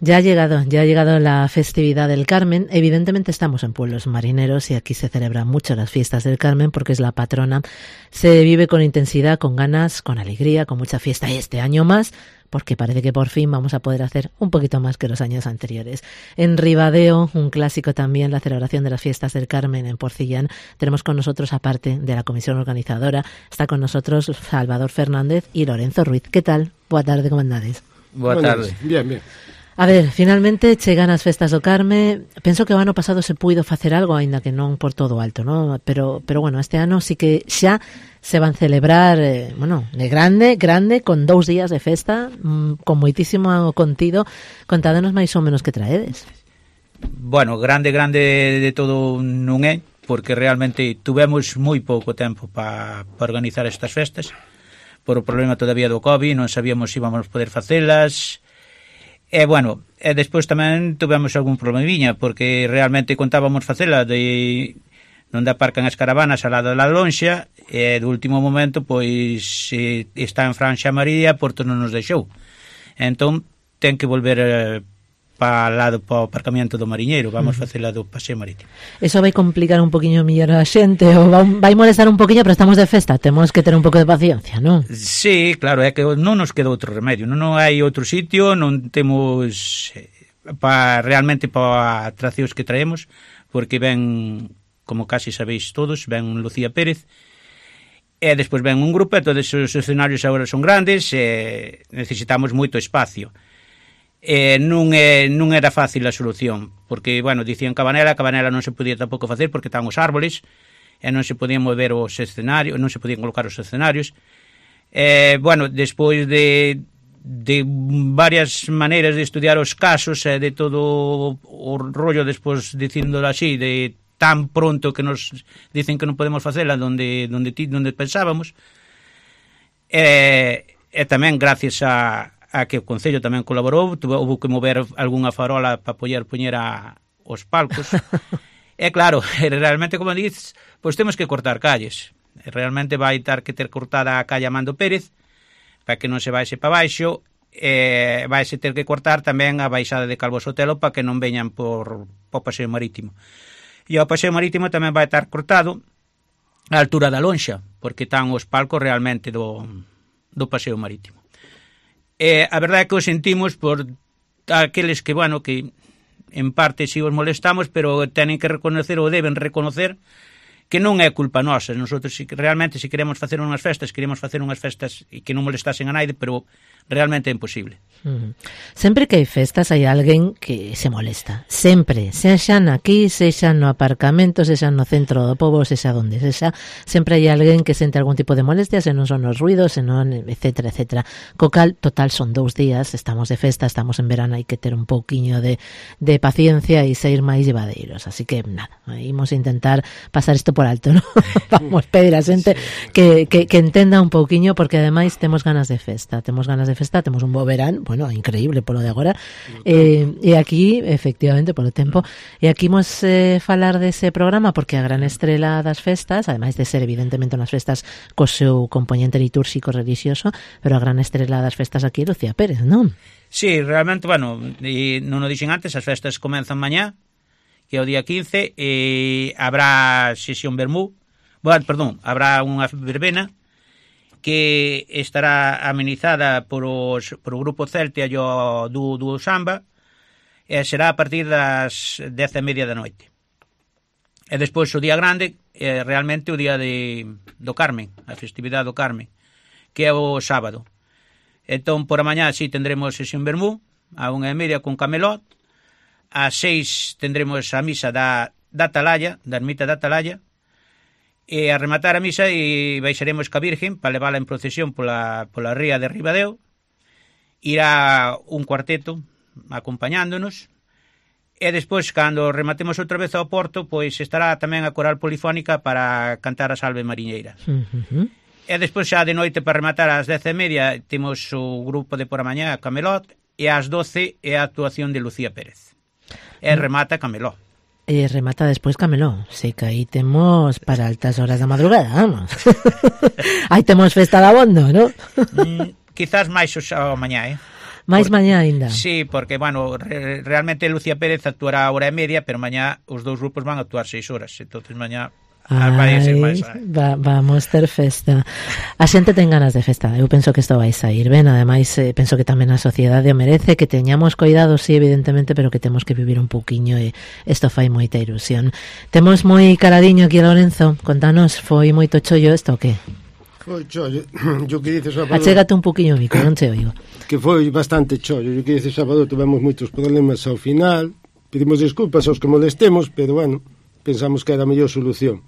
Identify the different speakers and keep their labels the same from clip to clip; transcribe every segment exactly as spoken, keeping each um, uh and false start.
Speaker 1: Ya ha llegado, ya ha llegado la festividad del Carmen. Evidentemente estamos en pueblos marineros y aquí se celebran mucho las fiestas del Carmen porque es la patrona. Se vive con intensidad, con ganas, con alegría, con mucha fiesta y este año más porque parece que por fin vamos a poder hacer un poquito más que los años anteriores. En Ribadeo, un clásico también, la celebración de las fiestas del Carmen en Porcillán. Tenemos con nosotros, aparte de la comisión organizadora, está con nosotros Salvador Fernández y Lorenzo Ruiz. ¿Qué tal? Boa tarde, como andades?
Speaker 2: Boa tarde. Bien, bien.
Speaker 1: A ver, finalmente chegan as festas do Carme. Penso que o ano pasado se puido facer algo, aínda que non por todo alto, ¿no? Pero, pero bueno, este ano sí que xa se van celebrar, eh, bueno, de grande, grande, con dous días de festa, mmm, con moitísimo contido. Contádenos máis ou menos que traedes.
Speaker 3: Bueno, grande, grande de todo non é, porque realmente tuvemos moi pouco tempo para pa organizar estas festas, por o problema todavía do COVID, non sabíamos se íbamos poder facelas. E, bueno, e despois tamén tuvemos algún problemiña, porque realmente contábamos facela de onde aparcan as caravanas ao lado da lonxa, e do último momento, pois, está en Franxa María, Porto non nos deixou. Entón, ten que volver eh, para o lado, para o aparcamiento do Mariñeiro, vamos uh-huh. facela do paseo marítimo.
Speaker 1: Eso vai complicar un poquinho mellor a xente, ou vai molestar un poquinho, pero estamos de festa, temos que ter un pouco de paciencia, non?
Speaker 3: Sí, claro, é que non nos queda outro remedio, non, non hai outro sitio, non temos pa, realmente para atraccións que traemos, porque ven, como casi sabéis todos, ven Lucía Pérez, e despois ven un grupo, e todos os escenarios agora son grandes, e necesitamos moito espacio. Eh, non, é, non era fácil a solución, porque, bueno, dicían Cabanela, Cabanela non se podía tampouco facer porque estaban os árboles e non se podían mover os escenarios, non se podían colocar os escenarios. Eh, bueno, despois de, de varias maneiras de estudiar os casos e eh, de todo o rollo despois dicíndolo así, de tan pronto que nos dicen que non podemos facela donde, donde, donde pensábamos, e, e tamén gracias a a que o Concello tamén colaborou, houve que mover algunha farola para poder poñer a, os palcos. E claro, realmente, como dices, pois temos que cortar calles. Realmente vai ter que ter cortada a calle Amando Pérez, para que non se vaise para baixo, e vaise ter que cortar tamén a baixada de Calvo Sotelo para que non veñan por, por paseo marítimo. E o paseo marítimo tamén vai estar cortado a altura da lonxa, porque están os palcos realmente do, do paseo marítimo. Eh, a verdade é que o sentimos por aqueles que, bueno, que en parte si os molestamos, pero tenen que reconocer ou deben reconocer que non é culpa nosa. Nosotros si, realmente, se si queremos facer unhas festas, queremos facer unhas festas e que non molestasen a naide, pero realmente é imposible.
Speaker 1: Uh-huh. Sempre que hai festas hai alguén que se molesta. Sempre, sexan aquí, sexan no aparcamento, sexan no centro do pobo, sexa donde sexa, sempre hai alguén que sente algún tipo de molestia, se non son os ruidos, se non, etcétera, etcétera. Co cal, total, son dous días, estamos de festa, estamos en verano, hai que ter un pouquiño de, de paciencia e ser máis llevadeiros. Así que, nada, imos intentar pasar isto por alto, ¿no? Vamos pedir a xente sí. que, que, que entenda un pouquiño, porque ademais temos ganas de festa, temos ganas de festa, temos un bo verán, bueno, increíble polo de agora, eh, e aquí, efectivamente, polo tempo, e aquí imos eh, falar dese programa, porque a gran estrela das festas, ademais de ser evidentemente unhas festas co seu componente litúrxico religioso, pero a gran estrela das festas aquí é Lucía Pérez, non?
Speaker 3: Sí, realmente, bueno, e non o dixen antes, as festas comenzan mañá, que é o día quince, e habrá sesión vermú, bueno, perdón, habrá unha verbena, que estará amenizada por, os, por o grupo Celtia e o do, do Samba, e será a partir das dez e media da noite. E despois o día grande, é realmente o día de, do Carmen, a festividade do Carmen, que é o sábado. Entón, por a mañá, sí, tendremos sesión vermú, a unha e media con camelot, a seis tendremos a misa da, da Atalaya, da ermita da Atalaya, e a rematar a misa e baixaremos ca Virgen para levála en procesión pola, pola ría de Ribadeo. Irá un cuarteto acompañándonos, e despois, cando rematemos outra vez ao Porto, pois estará tamén a coral polifónica para cantar a Salve Mariñeira. Uh-huh. E despois, xa de noite, para rematar ás dez e media, temos o grupo de por a mañá, Camelot, e ás doce é a actuación de Lucía Pérez. E remata Camelot.
Speaker 1: E remata despois Camelot. Sei que aí temos para altas horas da madrugada, vamos. Aí temos festa de abondo, ¿no?
Speaker 3: mm, quizás máis o mañá, eh?
Speaker 1: máis mañá aínda.
Speaker 3: Sí, porque, bueno, re, realmente Lucía Pérez actuará a hora e media, pero mañá os dous grupos van a actuar seis horas, entonces mañá
Speaker 1: Ai, va, vamos ter festa. A xente ten ganas de festa. Eu penso que isto vai sair ben. Ademais, eh, penso que tamén a sociedade o merece, que teñamos cuidado, sí, evidentemente, pero que temos que vivir un pouquiño e isto fai moita ilusión. Temos moi caradiño aquí a Lorenzo. Contanos, foi moito chollo isto o que?
Speaker 2: Foi chollo. Yo que dices sábado...
Speaker 1: Achégate un pouquiño o micro, non te oigo.
Speaker 2: Que foi bastante chollo. Yo que dices sábado tivemos moitos problemas ao final. Pedimos desculpas aos que molestemos, pero bueno, pensamos que era a mellor solución.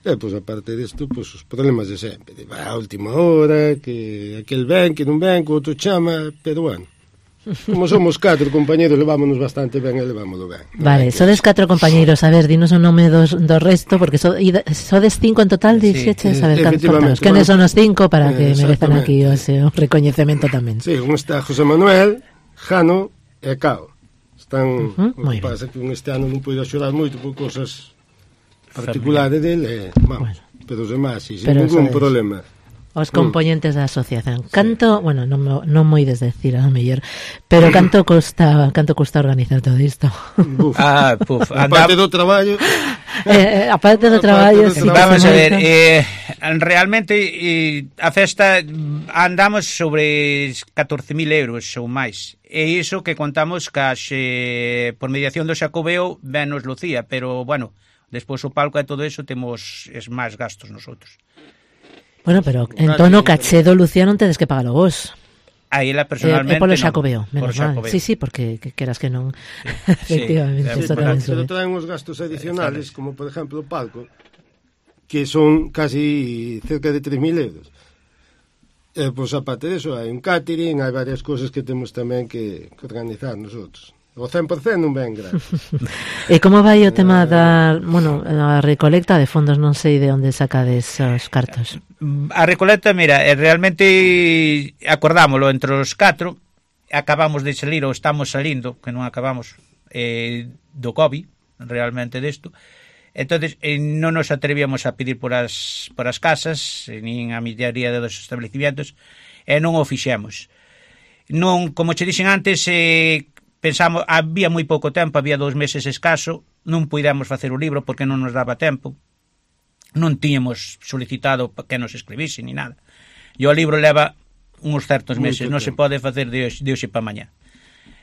Speaker 2: E, pois, aparte disto, pois, os problemas de sempre. De, a última hora, que aquel ven, que non ven, que outro chama, pero, bueno, como somos catro compañeros, levámonos bastante ben e levámoslo ben.
Speaker 1: Vale, sodes catro compañeiros. A ver, dinos o nome dos, do resto, porque so, sodes cinco en total, dixeches, sí, a ver, contanos, quenes son os cinco para que merezan aquí o seu recoñecemento tamén.
Speaker 2: Sí, un está José Manuel, Jano e Cao. Están, uh-huh, o que pasa que un este ano non puido axudar moito por cosas particulares dele, vamos, bueno, pero os demás, sí, sin ningún problema.
Speaker 1: Os componentes mm. da asociación. Canto, sí. Bueno, non, non moi desdecir a mellor, pero canto custa, canto custa organizar todo isto?
Speaker 2: Buf. Ah, puf, a parte do traballo.
Speaker 1: Eh, a parte do traballo,
Speaker 3: sí, vamos a ver, eh, realmente eh, a festa andamos sobre catorce mil euros ou máis. E iso que contamos case por mediación do Xacobeo venos Lucía, pero bueno, despois o palco e todo eso temos es máis gastos nosotros.
Speaker 1: Bueno, pero en tono caché do Lucía non tedes que pagalo vos.
Speaker 3: Aí ela personalmente
Speaker 1: é, é polo
Speaker 3: non.
Speaker 1: Xacobeo, menos mal. Sí, sí, porque que queras que non.
Speaker 2: Sí, efectivamente. Sí, sí, pero traen uns gastos adicionales, como por exemplo o palco, que son casi cerca de tres mil euros. E, pois, aparte de eso, hai un catering, hai varias cousas que temos tamén que, que organizar nosotros. O cen por cento non ven gratis.
Speaker 1: E como vai o tema da, bueno, a recolecta de fondos? Non sei de onde sacades os cartos.
Speaker 3: A recolecta, mira, realmente acordámoslo entre os catro, acabamos de salir ou estamos salindo, que non acabamos eh, do COVID, realmente desto. Entonces eh, non nos atrevíamos a pedir por as, por as casas, nin a millaría dos establecimientos, e non o fixemos. Non, como che dixen antes, eh, pensamos, había moi pouco tempo, había dous meses escaso, non puidemos facer o libro porque non nos daba tempo, non tiñamos solicitado que nos escribise ni nada. E o libro leva uns certos meses, non se pode facer de hoxe, de hoxe para mañá.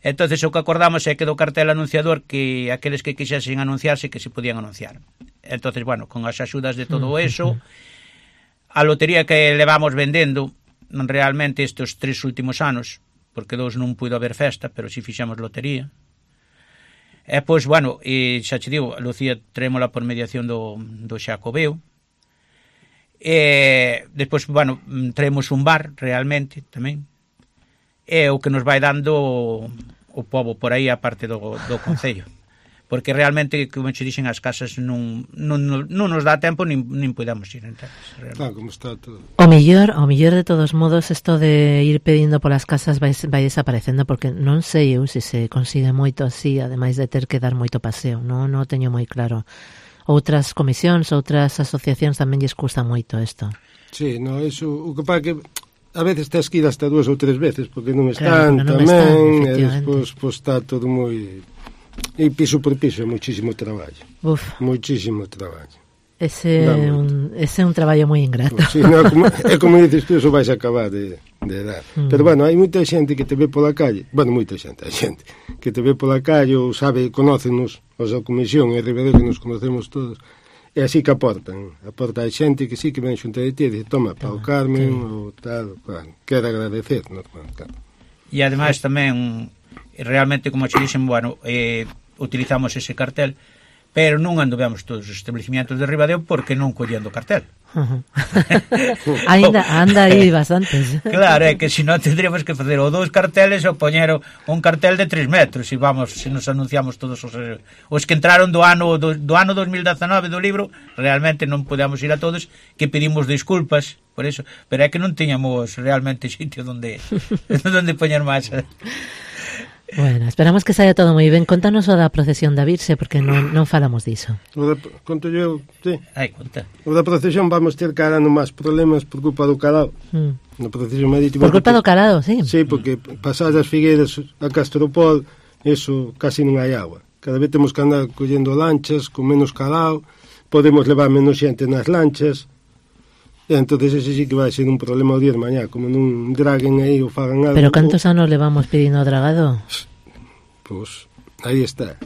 Speaker 3: Entonces o que acordamos é que do cartel anunciador que aqueles que quixesen anunciarse que se podían anunciar. Entonces, bueno, con as axudas de todo eso, a lotería que levamos vendendo realmente estes tres últimos anos, porque dous non puido haber festa, pero si fixamos lotería. E, pois, bueno, e xa che digo, Lucía trémola por mediación do, do Xacobeo. E, despois, bueno, traemos un bar, realmente, tamén. E o que nos vai dando o, o pobo por aí, a parte do, do concello. Porque realmente, como che dixen, as casas non, non, non nos dá tempo nin, nin podamos ir enteras.
Speaker 2: Claro, como está todo.
Speaker 1: O mellor, o mellor de todos modos, isto de ir pedindo polas casas vai, vai desaparecendo, porque non sei eu se se consigue moito así, ademais de ter que dar moito paseo, non, non teño moi claro. Outras comisións, outras asociacións tamén lles custa moito isto.
Speaker 2: Sí, no, eso, o que pasa que a veces tens que ir hasta dúas ou tres veces, porque non están claro, non tamén, están, e despois pues, está todo moi... E piso por piso é moitísimo traballo.
Speaker 1: Uf.
Speaker 2: Moitísimo traballo.
Speaker 1: Ese é un, ese é un traballo moi ingrato.
Speaker 2: Sí, no, como, é como dices tú, eso vais a acabar de, de dar. Mm. Pero bueno, hai moita xente que te ve pola calle, bueno, moita xente, hai xente que te ve pola calle ou sabe, conócenos, os da comisión e Ribadeo que nos conocemos todos, e así que aportan. Aporta a xente que sí que ven xunta de ti e dice, toma, para o Carmen, sí. ou tal, bueno, quero agradecer, no, claro.
Speaker 3: E ademais tamén realmente, como che dixen, bueno, eh, utilizamos ese cartel, pero non anduvemos todos os establecimientos de Ribadeo porque non collendo cartel.
Speaker 1: Uh-huh. Ainda anda aí bastantes.
Speaker 3: Claro, é que se non tendríamos que facer o dous carteles ou poñer un cartel de tres metros e vamos, se nos anunciamos todos os, os que entraron do ano do, do ano dos mil dezanove do libro, realmente non podíamos ir a todos, que pedimos disculpas por eso, pero é que non tiñamos realmente sitio donde donde poñer máis.
Speaker 1: Bueno, esperamos que saia todo moi ben. Contanos o da procesión da Virxe, porque non, non falamos diso.
Speaker 2: O da, conto eu, sí.
Speaker 3: Ai, conta.
Speaker 2: O da procesión vamos ter cara no máis problemas por culpa do calado.
Speaker 1: Mm.
Speaker 2: Na procesión marítima.
Speaker 1: Por culpa do calado, sí.
Speaker 2: Sí, porque pasadas as figueiras a Castropol, eso casi non hai agua. Cada vez temos que andar collendo lanchas con menos calado, podemos levar menos xente nas lanchas. E entonces ese sí que vai ser un problema o día de mañá, como non draguen aí ou fagan algo.
Speaker 1: Pero cantos anos levamos pedindo dragado?
Speaker 2: Pois, aí está.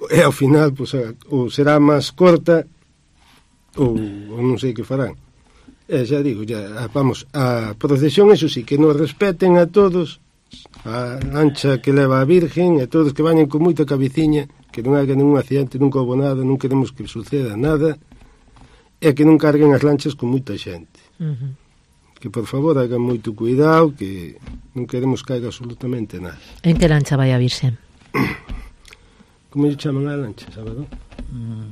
Speaker 2: E ao final, pois, ou será máis corta ou, ou non sei que farán. E xa digo, ya, vamos, a procesión, eso sí, que nos respeten a todos, a lancha que leva a Virgen, e todos que vayan con moita cabeciña, que non haga ningún accidente, nunca houve nada, non queremos que suceda nada, e que non carguen as lanchas con moita xente.
Speaker 1: Uh-huh.
Speaker 2: Que, por favor, hagan moito cuidado, que non queremos que haga absolutamente nada.
Speaker 1: En que lancha vai a Virxe?
Speaker 2: Como lle chaman a lancha, Salvador?
Speaker 3: Mm,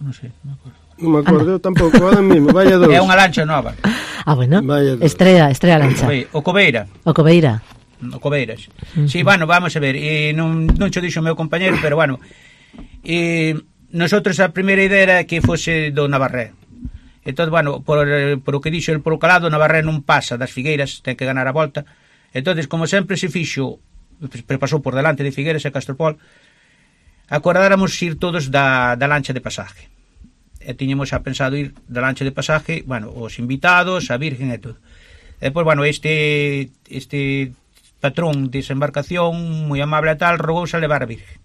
Speaker 3: non sei, non me acordo.
Speaker 2: Non me acordo, eu tampouco, ahora mesmo, vaya dos.
Speaker 3: É unha lancha nova.
Speaker 1: Ah, bueno,
Speaker 2: Vaya dos.
Speaker 1: estrella, estrella lancha.
Speaker 3: Oi, o Cobeira.
Speaker 1: O Cobeira.
Speaker 3: O Cobeiras.
Speaker 1: Uh-huh.
Speaker 3: Sí, bueno, vamos a ver, e non, non cho dixo o meu compañero, pero bueno, e nosotros a primeira idea era que fose do Navarré. Entón, bueno, por, por o que dixo el por o calado, Navarré non pasa das Figueiras, ten que ganar a volta. Entón, como sempre se fixo, pasou por delante de Figueiras e Castropol, acordáramos ir todos da, da lancha de pasaje. E tiñemos a pensado ir da lancha de pasaje, bueno, os invitados, a Virgen e todo. E depois, bueno, este este patrón de esa embarcación, moi amable e tal, rogouse a levar a Virgen.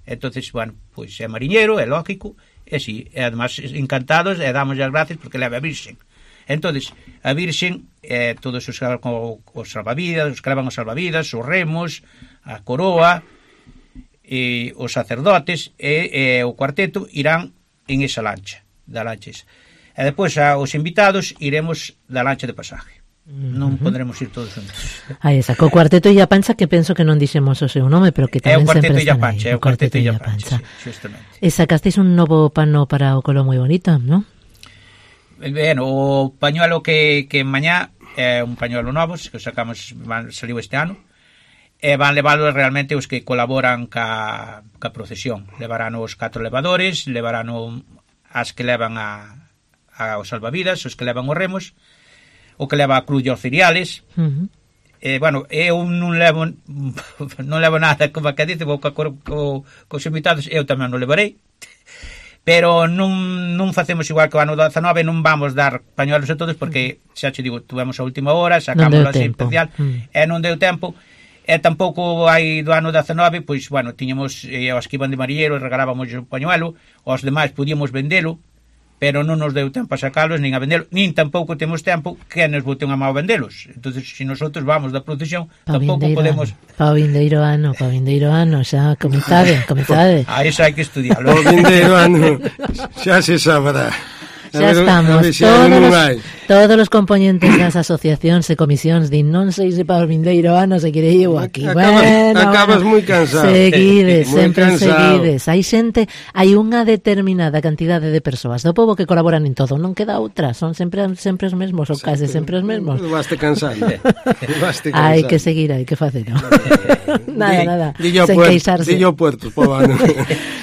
Speaker 3: Entonces, bueno, pois é mariñeiro, é lógico, e si, e además encantados, e damos as gracias porque leva a Virxen. Entonces, a Virxen, eh, todos os, os salvavidas, os que levan os salvavidas, os remos, a coroa, e os sacerdotes e, e o cuarteto irán en esa lancha, da lancha esa. E depois a, os invitados iremos da lancha de pasaje. Non uh-huh. Podremos ir todos juntos.
Speaker 1: Aí está, co cuarteto Illa Pancha, que penso que non dixemos o seu nome, pero que tamén sempre están aí.
Speaker 3: É o cuarteto Illa Pancha, sí, justamente.
Speaker 1: E sacasteis un novo pano para o colo moi bonito, non?
Speaker 3: Ben, o pañuelo que, que mañá é un pañuelo novo, que sacamos, van, saliu este ano, e van leválo realmente os que colaboran ca, ca procesión. Levarán os catro levadores, levarán o, as que levan a, a os salvavidas, os que levan os remos, o que leva a cruz e os cereales. Uh-huh. Eh, bueno, eu non levo non levo nada, como que dice, vou co, co, cos invitados, eu tamén non levarei, pero non, non facemos igual que o ano dezanove, non vamos dar pañuelos a todos, porque, xa che digo, tuvemos a última hora, sacámoslo así especial, mm. e non deu tempo, e tampouco hai do ano dezanove, pois, bueno, tiñamos eh, os que iban de mariñeiro, regalábamos o pañuelo, os demais podíamos vendelo, pero non nos deu tempo a sacalos, nin a vendelo, nin tampouco temos tempo que nos bote unha mão a vendelos. Entonces, se nosotros vamos da procesión, pa tampouco podemos...
Speaker 1: Pa o vindeiro ano, pa o vindeiro ano, xa comezade, comezade.
Speaker 3: A eso hai que estudiarlo.
Speaker 2: O vindeiro ano, xa se sabrá.
Speaker 1: Xa estamos, todos os, todos os componentes das asociacións e comisións din non sei se para o vindeiro ano se quere eu aquí.
Speaker 2: Acabas,
Speaker 1: bueno,
Speaker 2: acabas moi cansado.
Speaker 1: Seguides,
Speaker 2: muy
Speaker 1: sempre
Speaker 2: cansado.
Speaker 1: seguides. Hai xente, hai unha determinada cantidade de persoas do pobo que colaboran en todo, non queda outra, son sempre sempre os mesmos, ou case sempre os mesmos.
Speaker 2: Baste cansado. Baste cansado.
Speaker 1: Hai que seguir, hai que facer, ¿no? nada, nada.
Speaker 2: Dillo
Speaker 1: sen
Speaker 2: puerto,
Speaker 1: queixarse.
Speaker 2: Dillo puerto, po ano.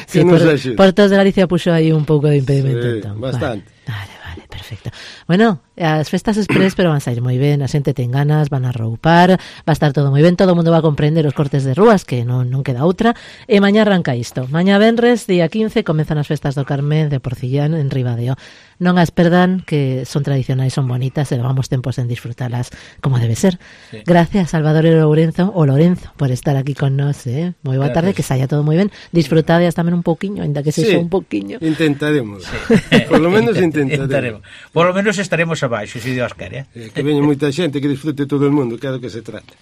Speaker 1: Sí, por, Portos de Galicia puxo aí un pouco de impedimento.
Speaker 2: Sí,
Speaker 1: entón.
Speaker 2: bastante.
Speaker 1: Vale, vale, vale, perfecto. Bueno, as festas express, pero van a sair moi ben, a xente ten ganas, van a roupar, va a estar todo moi ben, todo o mundo va a comprender os cortes de rúas, que non, non queda outra, e mañá arranca isto. Mañá venres, día quince, comezan as festas do Carmen de Porcillán en Ribadeo. Non as perdan, que son tradicionais, son bonitas, e levamos tempos en disfrutalas como debe ser. Sí. Gracias, Salvador e Lourenzo, o Lorenzo, por estar aquí con nós, eh? Moi boa tarde, que saia todo moi ben. Disfrutades tamén un pouquiño, ainda que se sí, un pouquiño.
Speaker 2: Intentaremos. Sí. Por lo menos intentaremos.
Speaker 3: Por lo menos estaremos abaixo, se Dios quere.
Speaker 2: Eh? Que veña moita xente, que disfrute todo o mundo, que é do que se trata.